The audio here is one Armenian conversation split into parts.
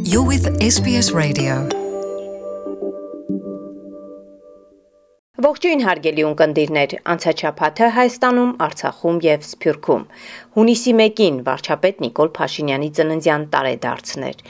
You're with SBS Radio. Ողջույն հարգելի ունկնդիրներ, անցաչափաթը Հայաստանում, Արցախում եւ Սփյուռքում։ Հունիսի 1-ին վարչապետ Նիկոլ Փաշինյանի ծննդյան տարեդարձն էր։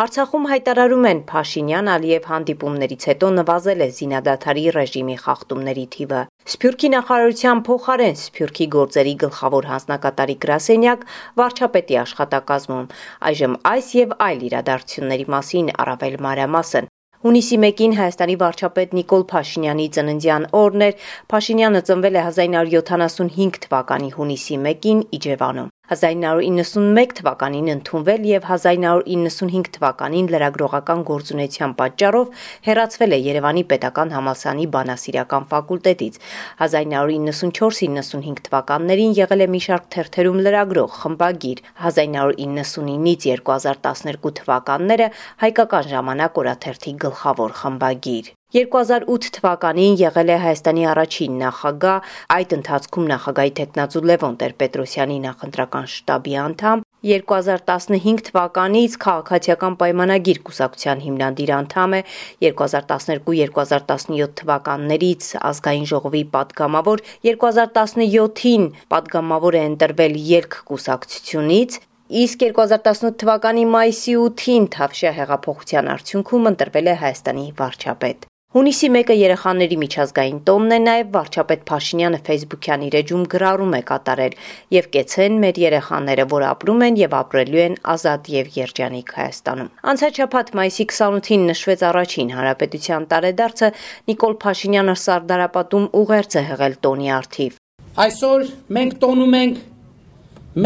Արցախում հայտարարում են Փաշինյան-Ալիև հանդիպումներից հետո նվազել է զինադադարի ռեժիմի խախտումների թիվը։ Սփյուռքի նախարարության փոխարեն Սփյուռքի գործերի գլխավոր հանձնակատարի գրասենյակ վարչապետի աշխատակազմում։ Այժմ այս եւ այլ իրադարձությունների մասին առավել մանրամասն։ Հունիսի 1-ին Հայաստանի վարչապետ Նիկոլ Փաշինյանի ծննդյան օրն էր։ Փաշինյանը ծնվել է 1975 թվականի հունիսի 1-ին Իջևանում։ 1991 թվականին ընդունվել եւ 1995 թվականին լրագրողական գործունեության պատճառով հեռացվել է Երևանի Պետական համալսարանի բանասիրական ֆակուլտետից։ 1994-95 թվականներին եղել է մի շարք թերթերում լրագրող, խմբագիր։ 1999-ից 2012 թվականները Հայկական ժամանակ օրաթերթի գլխավոր խմբագիր։ 2008 թվականին եղել է Հայաստանի առաջին նախագահ, այդ ընթացքում նախագահի թեկնածու Լևոն Տեր-Պետրոսյանի նախընտրական շտաբի անդամ, 2015 թվականից քաղաքացիական պայմանագիր կուսակցության հիմնադիր անդամ է, 2012-2017 թվականներից ազգային ժողովի падգամավոր, 2017-ին падգամավոր է ընտրվել Ելք կուսակցությունից, իսկ 2018 թվականի մայիսի 8-ին Թավշյա հեղափոխության արդյունքում ընտրվել է Հայաստանի վարչապետ։ Հունիսի 1-ը երեխաների միջազգային տոնն է, նաև վարչապետ Փաշինյանը Facebook-յան իր էջում գրառում է կատարել եւ կեցեն մեր երեխաները, որ ապրում են եւ ապրելու են ազատ եւ երջանիկ Հայաստանում։ Անցաչափած մայիսի 28-ին նշվեց առաջին հանրապետության տարեդարձը, Նիկոլ Փաշինյանը Սարդարապատում ուղերձ է հղել տոնի առթիվ։ Այսօր մենք տոնում ենք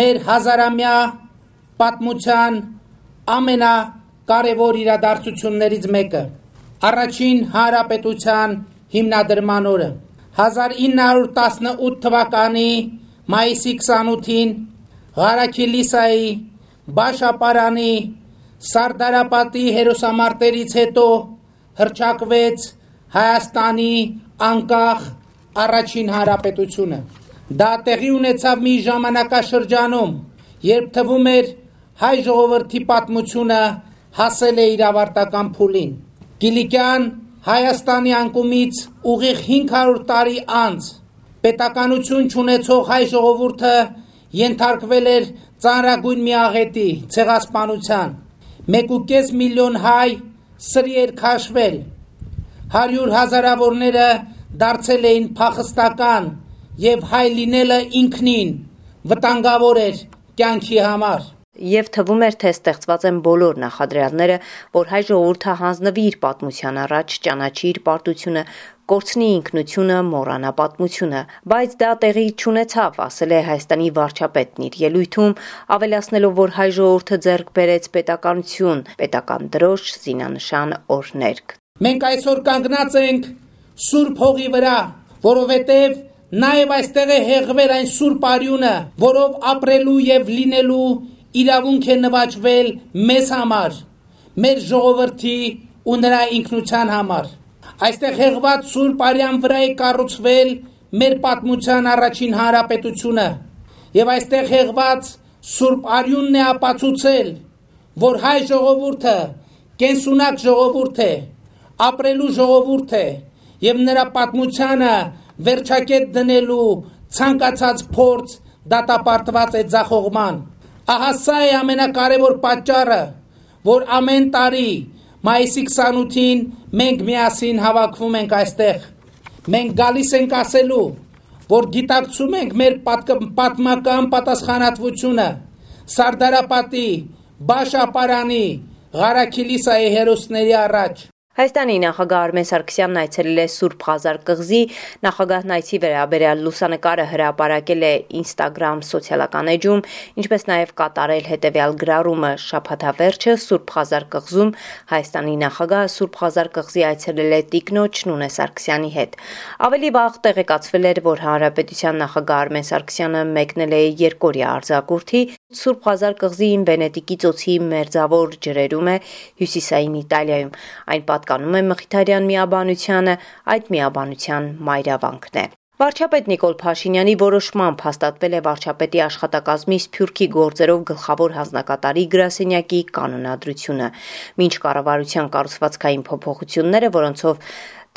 մեր հազարամյա պատմության ամենակարևոր իրադարձություններից մեկը։ Առաջին հանրապետության հիմնադրման օրը 1918 թվականի մայիսի 28-ին Ղարաքիլիսայի Բաշապարանի Սարդարապատի հերոսամարտերից հետո հռչակվեց Հայաստանի անկախ առաջին հանրապետությունը։ Դա տեղի ունեցավ մի ժամանակաշրջանում, երբ թվում էր հայ ժողովրդի պատմությունը հասել է իր ավարտական փուլին։ Կիլիկյան Հայաստանի անկումից ուղիղ 500 տարի անց պետականություն չունեցող հայ ժողովուրդը ենթարկվել էր ծանրագույն մի աղետի, ցեղասպանության։ 1.5 միլիոն հայ սրի էր քաշվել, 100 հազարավորները դարձել էին փախստական եւ հայ լինելը ինքնին վտանգավոր էր կյանքի համար։ Եվ թվում էր, թե ստեղծված են բոլոր նախադրյալները, որ հայ ժողովուրդը հանձնվի իր պատմության առաջ, ճանաչի իր պարտությունը, կորցնի ինքնությունը, մոռանա պատմությունը, բայց դա տեղի չունեցավ, ասել է Հայաստանի վարչապետն իր ելույթում, ավելացնելով, որ հայ ժողովուրդը ձեռք բերեց պետականություն, պետական դրոշ, զինանշան, օրհներգ։ Մենք այսօր կանգնած ենք սուրբ հողի վրա, որովհետև նաև այստեղ է հեղվել այն սուրբ արյունը, որով ապրելու եւ լինելու իրավունք է նվաճվել մեզ համար, մեր ժողովրդի ու նրա ինքնության համար։ Այստեղ հեղված սուրբ արյան վրա է կառուցվել մեր պատմության առաջին հանրապետությունը, եւ այստեղ հեղված սուրբ արյունն է ապացուցել, որ հայ ժողովուրդը կենսունակ ժողովուրդ է, ապրելու ժողովուրդ է, եւ նրա պատմությանը վերջակետ դնելու ցանկացած փորձ դատապարտված է ձախողման։ Ահա սա է ամենակարևոր պատճառը, որ ամեն տարի մայիսի 28-ին մենք միասին հավաքվում ենք այստեղ։ Մենք գալիս ենք ասելու, որ գիտակցում ենք մեր պատմական պատասխանատվությունը Սարդարապատի, Բաշապարանի, Ղարաքիլիսայի հերոսների առաջ։ Հայաստանի նախագահ Արմեն Սարգսյանն այցելել է Սուրբ Ղազար կղզի, նախագահն այցի վերաբերյալ լուսանկարը հրապարակել է Instagram սոցիալական էջում, ինչպես նաև կատարել հետևյալ գրառումը շաբաթավերջը Սուրբ Ղազար կղզում Հայաստանի նախագահը Սուրբ Ղազար կղզի այցելել է տիկնոջ Նունե Սարգսյանի հետ։ Ավելի վաղ տեղեկացվել էր, որ հանրապետության նախագահ Արմեն Սարգսյանը մեկնել է երկօրյա արձակուրդի Սուրբ Ղազար կղզին Վենետիկի ծոցի մերձավոր ջրերում է հյուսիսային Իտալիայում։ Այն պատկանում է Մխիթարյան միաբանությանը, այդ միաբանության մայրավանքն է։ Վարչապետ Նիկոլ Փաշինյանի որոշմամբ հաստատվել է վարչապետի աշխատակազմի Սփյուռքի գործերով գլխավոր հանձնակատարի գրասենյակի կանոնադրությունը։ Մինչ կառավարության կառուցվածքային փոփոխությունները, որոնցով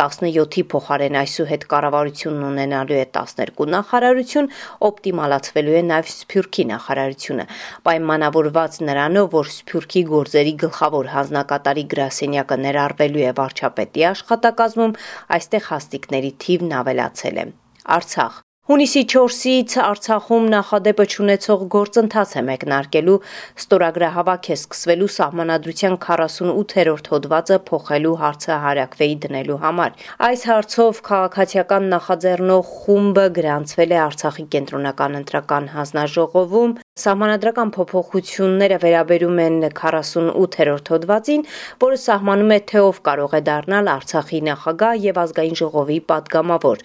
17-ի փոխարեն այսուհետ կառավարությունն ունենալու է 12 նախարարություն, օպտիմալացվելու է նաև Սփյուռքի նախարարությունը, պայմանավորված նրանով, որ Սփյուռքի գործերի գլխավոր հանձնակատարի գրասենյակը ներառվելու է վարչապետի աշխատակազմում, այստեղ հաստիկների թիվն ավելացել է։ Արցախ Հունիսի 4-ից Արցախում նախադեպը չունեցող գործընթաց է մեկնարկելու, ստորագրահավաք է սկսվելու սահմանադրության 48-րդ հոդվածը փոխելու հարցը հարակվեի դնելու համար։ Այս հարցով քաղաքացիական նախաձեռնող խումբը գրանցվել է Արցախի կենտրոնական ընտրական հանձնաժողովում։ Սահմանադրական փոփոխությունները վերաբերում են 48-րդ հոդվածին, որը սահմանում է, թե ով կարող է դառնալ Արցախի նախագահ եւ ազգային ժողովի падգամավոր։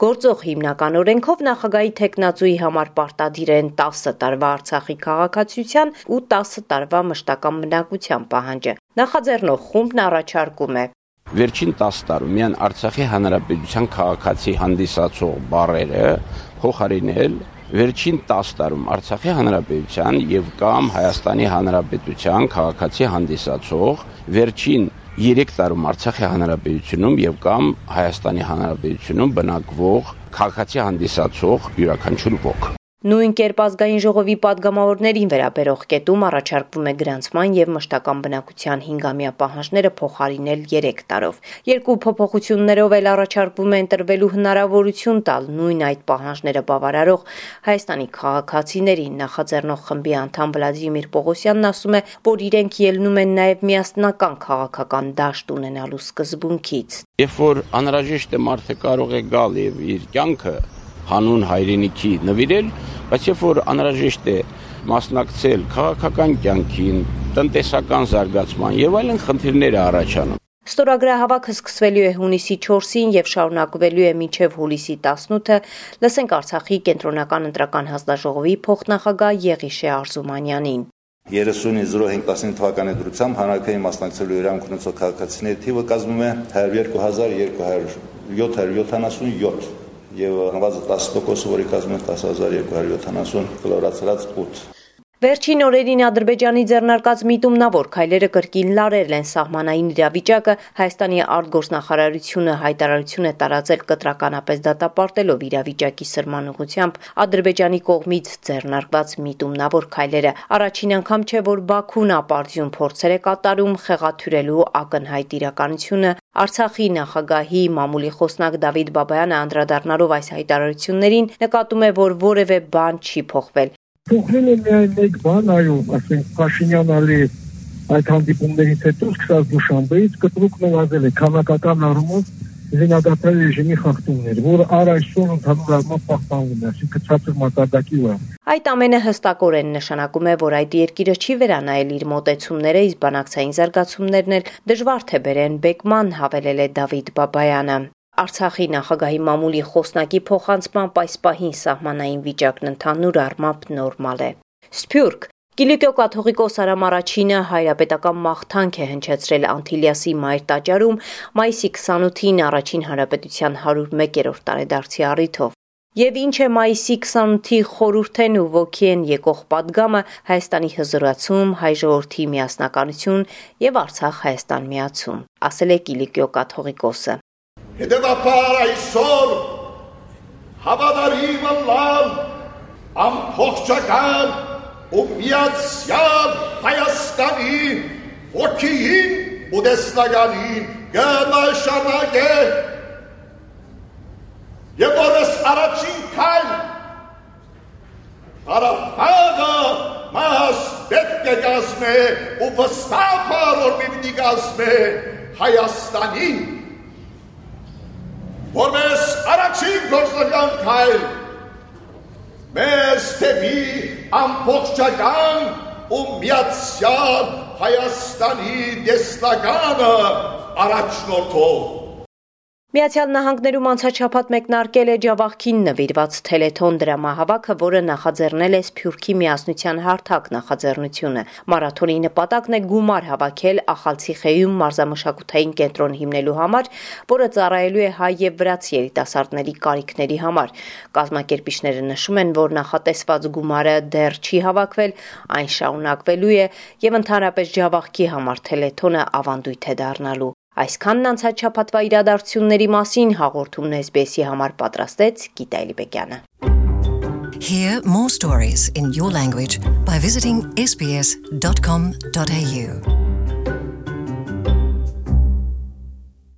Գործող հիմնական օրենքով նախագահի թեկնածուի համար պարտադիր են 10 տարվա Արցախի քաղաքացիության ու 10 տարվա մշտական բնակության պահանջը։ Նախաձեռնող խումբն առաջարկում է Վերջին 10 տարում միայն Արցախի հանրապետության քաղաքացի հանդիսացող բառերը փոխարինել Վերջին 10 տարում Արցախի հանրապետության եւ կամ Հայաստանի հանրապետության քաղաքացի հանդիսացող, վերջին 3 տարում Արցախի հանրապետությունում եւ կամ Հայաստանի հանրապետությունում բնակվող քաղաքացի հանդիսացող յուրաքանչյուր ոք։ Նույն կերպ ազգային ժողովի падգամավորներին վերաբերող կետում առաջարկվում է գրանցման եւ մշտական բնակության 5-ամյա պահանջները փոխարինել 3 տարով։ Երկու փոփոխություններով էլ առաջարկվում է ընտրվելու հնարավորություն տալ նույն այդ պահանջները բավարարող Հայաստանի քաղաքացիներին։ Նախաձեռնող խմբի անդամ Վլադիմիր Պողոսյանն ասում է, որ իրենք ելնում են նաեւ միասնական քաղաքական դաշտ ունենալու սկզբունքից։ Երբ որ անհրաժեշտ է մարդը կարող է գալ եւ իր կյանքը հանուն հայրենիքի նվիրել, բայց երբ որ անհրաժեշտ է մասնակցել քաղաքական կյանքին, տնտեսական զարգացման եւ այլն խնդիրներ առաջանում։ Ստորագրահավաքը սկսվելու է հունիսի 4-ին եւ շարունակվելու է մինչեւ հուլիսի 18-ը։ Լսենք Արցախի կենտրոնական ընտրական հանձնաժողովի փոխնախագահ Եղիշե Արզումանյանին։ 30.05.15 թվականի դրությամբ հանրաքային մասնակցելու իրավունք ունեցող քաղաքացիների թիվը կազմում է 102,777 եւ հանված 10%, որի կազմում է 10,270 կլորացած 8։ Վերջին օրերին Ադրբեջանի ձեռնարկած միտումնավոր քայլերը կրկին լարել են սահմանային իրավիճակը։ Հայաստանի արտգործնախարարությունը հայտարարություն է տարածել կտրականապես դատապարտելով իրավիճակի սրման ուղղությամբ Ադրբեջանի կողմից ձեռնարկված միտումնավոր քայլերը։ Առաջին անգամ չէ, որ Բաքուն ապարդյուն փորձեր է կատարում խեղաթյուրելու ակնհայտ իրականությունը։ Արցախի նախագահի մամուլի խոսնակ Դավիթ Բաբայանը անդրադառնալով այս հայտարարություններին նկատում է, որ որևէ բան չի փոխվել։ Փոխվել է միայն մեկ բան, այո, ասենք Փաշինյանի այդ հանդիպումներից հետո սկսած Դուշանբեից կտրուկ նվազել է քանակական առումով զինադատարի ռեժիմի խախտումներ, որը այսօր ընդհանուր առմամբ պահպանվում է, այսինքն ցածր մակարդակի վրա։ Այդ ամենը հստակորեն նշանակում է, որ այդ երկիրը չի վերանայել իր մոտեցումները, իսկ բանակցային զարգացումներն էլ դժվար թե բերեն բեկման, հավելել է Դավիթ Բաբայանը։ Արցախի նախագահի մամուլի խոսնակի փոխանցմամբ այս պահին սահմանային վիճակն ընդհանուր առմամբ նորմալ է։ Սփյուռք Կիլիկիո կաթողիկոս Արամ Առաջինը հայրապետական մաղթանք է հնչեցրել Անտիլիասի Մայր տաճարում մայիսի 28-ին Առաջին հանրապետության 101-րդ տարեդարձի առիթով։ Եվ ինչ է մայիսի 28-ի խորհուրդեն ու ոգի են եկող պատգամը Հայաստանի հզորացում, հայ ժողովրդի միասնականություն եւ Արցախ-Հայաստան միացում, ասել է Կիլիկիո կաթողիկոսը։ Հետևաբար այսօր հավատարիմ ըլլալ ամբողջական ու միացյալ Հայաստանի ոգիին ու տեսլականին կնշանակե եւ որս առաջին քայլ Ղարաբաղը մաս պետք է կազմե ու վստահ որ պիտի կազմե Հայաստանին որպես առաջին գործնական քայլ մեզ թեպի ամբողջական ու միացյալ Հայաստանի տեսլականը առաջնորդող Միացյալ Նահանգներում անցաչափած մեկնարկել է Ջավախքին նվիրված թելեթոն դրամահավաքը, որը նախաձեռնել է Սփյուռքի միասնության հարթակ նախաձեռնությունը։ Մարաթոնի նպատակն է գումար հավաքել Ախալցիխեյում մարզամշակութային կենտրոն հիմնելու համար, որը ծառայելու է հայ եւ վրաց երիտասարդների կարիքների համար։ Կազմակերպիչները նշում են, որ նախատեսված գումարը դեռ չի հավաքվել, այն շարունակվելու է եւ ընդհանրապես Ջավախքի համար թելեթոնը ավանդույթ է դառնալու։ Այսքանն անցած շաբաթվա իրադարձությունների մասին հաղորդումն SBS-ի համար պատրաստեց Գիտա Էլիբեկյանը։ Hear more stories in your language by visiting sbs.com.au